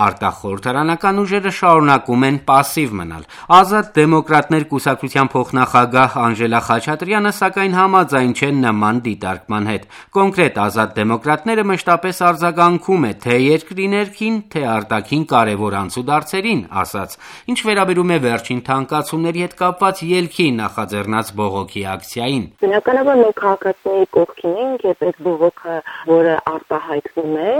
Արտախորհրդարանական ուժերը շարունակում են պասիվ մնալ։ Ազատ դեմոկրատներ կուսակցության փոխնախագահ Անժելա Խաչատրյանը սակայն համաձայն չէ նման դիտարկման հետ։ Կոնկրետ Ազատ դեմոկրատները մշտապես արձագանքում է թե երկրի ներքին, թե արտաքին կարևոր անցուդարձերին, ասաց։ Ինչ վերաբերում է վերջին թանկացումների հետ կապված ելքի նախաձեռնած բողոքի ակցիային։ Բնականաբար մենք քաղաքացիների կողքին ենք եւ այդ բողոքը, որը արտահայտվում է,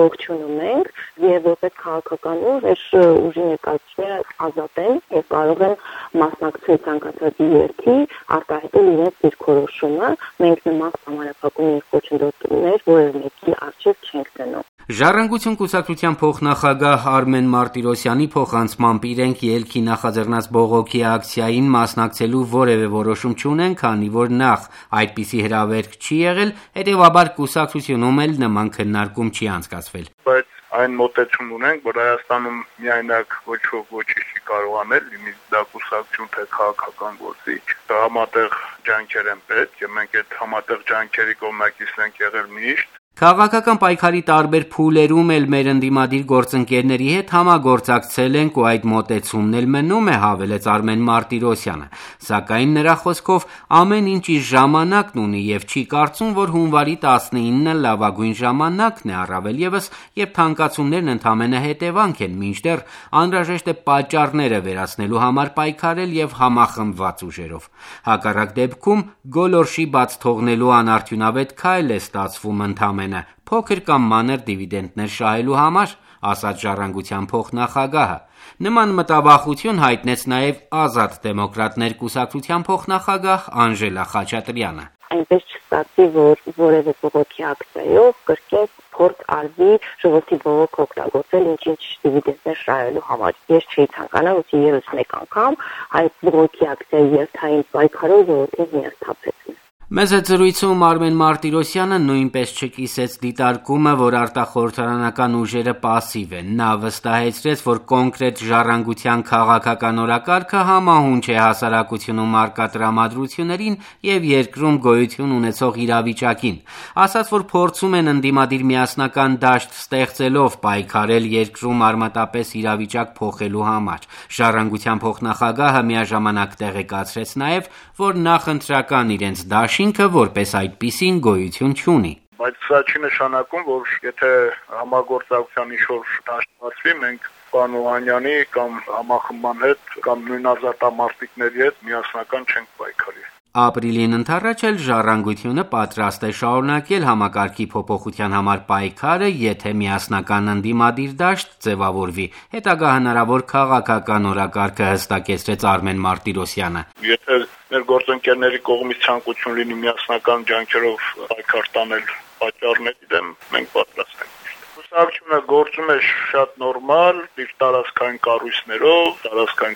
ողջունում ենք եւ որպես քաղաքական ուժ այս ուժի ներկայացուցիչները ազատ են եւ կարող են մասնակցել ցանկացած ելքի, արտահայտել իրենց դիրքորոշումը։ Մենք նման համանախագահ խոչընդոտներ որևէ մեկի առջև չենք դնում։ Ժառանգություն կուսակցության փոխնախագահ Արմեն Մարտիրոսյանի փոխանցմամբ իրենք ելքի նախաձեռնած բողոքի ակցիային մասնակցելու որևէ որոշում չունեն, քանի որ նախ այդպիսի հրավերք չի եղել, հետևաբար կուսակցությունում էլ նման քննարկում չի անցկացվել։ Բայց այն մոտեցում ունենք, որ Հայաստանում միայնակ ոչ ոք ոչինչ չի կարող անել, լինի դա կուսակցություն թե քաղաքական գործիչ, համատեղ ջանքեր են պետք, եւ մենք այդ համատեղ ջանքերի կողմնակից ենք եղել միշտ։ Քաղաքական պայքարի տարբեր փուլերում էլ մեր ընդդիմադիր գործընկերների հետ համագործակցել ենք ու այդ մոտեցումն էլ մնում է, հավելեց Արմեն Մարտիրոսյանը։ Սակայն նրա խոսքով ամեն ինչ իր ժամանակն ունի եւ չի կարծում, որ հունվարի 19-ը լավագույն ժամանակն է, առավել եւս, երբ թանկացումներն ընդամենը հետևանք են, մինչդեռ անհրաժեշտ է պատճառները վերացնելու համար պայքարել եւ համախմբված ուժերով։ Հակառակ դեպքում գոլորշի բաց թողնելու անարդյունավետ քայլ է ստացվում ընդամենը փոքր կամ մանր դիվիդենտներ շահելու համար, ասաց Ժառանգության փոխնախագահը։ Նման մտավախություն հայտնեց նաև Ազատ դեմոկրատներ կուսակցության փոխնախագահ Անժելա Խաչատրյանը։ Այնպես չստացվի, որ որևէ բողոքի ակցիայով կրկին փորձ արվի ժողովրդի բողոք օգտագործել ինչ դիվիդենտներ շահելու համար։ Ես չի ցանկանա, որ ևս մեկ անգամ այդ բողոքի ակցիայի երթային պայքարով ժողովրդին հիասթափեցնի։ Մեծ հետ զրույցում Արմեն Մարտիրոսյանը նույնպես չկիսեց դիտարկումը, որ արտախորհրդարանական ուժերը պասիվ են։ Նա վստահեցրեց, որ կոնկրետ ժառանգության քաղաքական օրակարգը համահունչ է հասարակությունում առկա տրամադրություններին եւ երկրում գոյություն ունեցող իրավիճակին։ Ասաց, որ փորձում են ընդդիմադիր միասնական դաշտ ստեղծելով պայքարել երկրում արմատապես իրավիճակ փոխելու համար։ Ժառանգության փոխնախագահը միաժամանակ տեղեկացրեց նաեւ, որ նախընտրական իրենց դաշինքը որպես այդպիսին գոյություն չունի։ Բայց սա չի նշանակում, որ եթե համագործակցության ինչ-որ դաշտ բացվի, մենք պարոն Օհանյանի կամ համախմբման հետ կամ նույն ազատամարտիկների հետ միասնական չենք պայքարի։ Ապրիլին ընդառաջ էլ Ժառանգությունը պատրաստ է շարունակել համակարգի փոփոխության համար պայքարը, եթե միասնական ընդդիմադիր դաշտ ձևավորվի։ Հետագա հնարավոր քաղաքական օրակարգը հստակեցրեց Արմեն Մարտիրոսյանը։ Եթե մեր գործընկերների կողմից ցանկություն լինի միասնական ջանքերով պայքար տանել պատճառների դեմ, մենք պատրաստ ենք։ Կուսակցությունը գործում է շատ նորմալ, իր տարածքային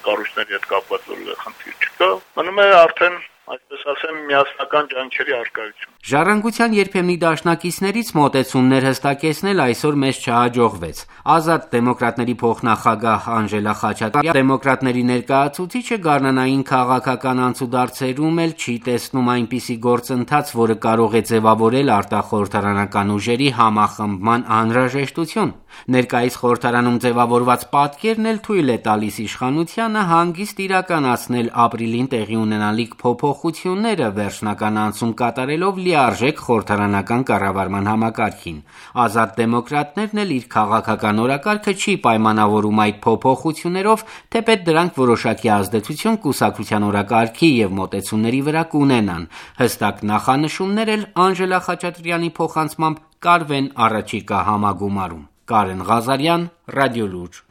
կառույցների հետ կապված որևէ խնդիր չկա։ Մնում է արդեն այսպես ասեմ, միասնական ջանքերի արկայություն։ Ժառանգության երբեմնի դաշնակիցներից մոտեցումներ հստակեցնել այսօր մեզ չհաջողվեց։ Ազատ դեմոկրատների փոխնախագահ Անժելա Խաչատրյանը դեմոկրատների ներկայացուցիչը գարնանային քաղաքական անցուդարձերում էլ չի տեսնում այնպիսի գործընթաց, որը կարող է ձևավորել արտախորհրդարանական ուժերի համախմբման անհրաժեշտություն։ Ներկայիս խորհրդարանում ձևավորված պատկերն էլ թույլ է տալիս իշխանությանը հանգիստ իրականացնել ապրիլին տեղի ունենալիք փոփոխությունները վերջնական անցում կատարելով լիարժեք խորհրդարանական կառավարման համակարգին։ Ազատ դեմոկրատներն էլ իր քաղաքական օրակարգը չի պայմանավորում այդ փոփոխություններով, թեպետ դրանք որոշակի ազդեցություն կուսակցության օրակարգի եւ մոտեցումների վրա կունենան։ Հստակ նախանշումներ էլ Անժելա Խաչատրյանի փոխանցմամբ կարվեն առաջիկա համագումարում։ Կարեն Ղազարյան, Ռադիոլուրջ։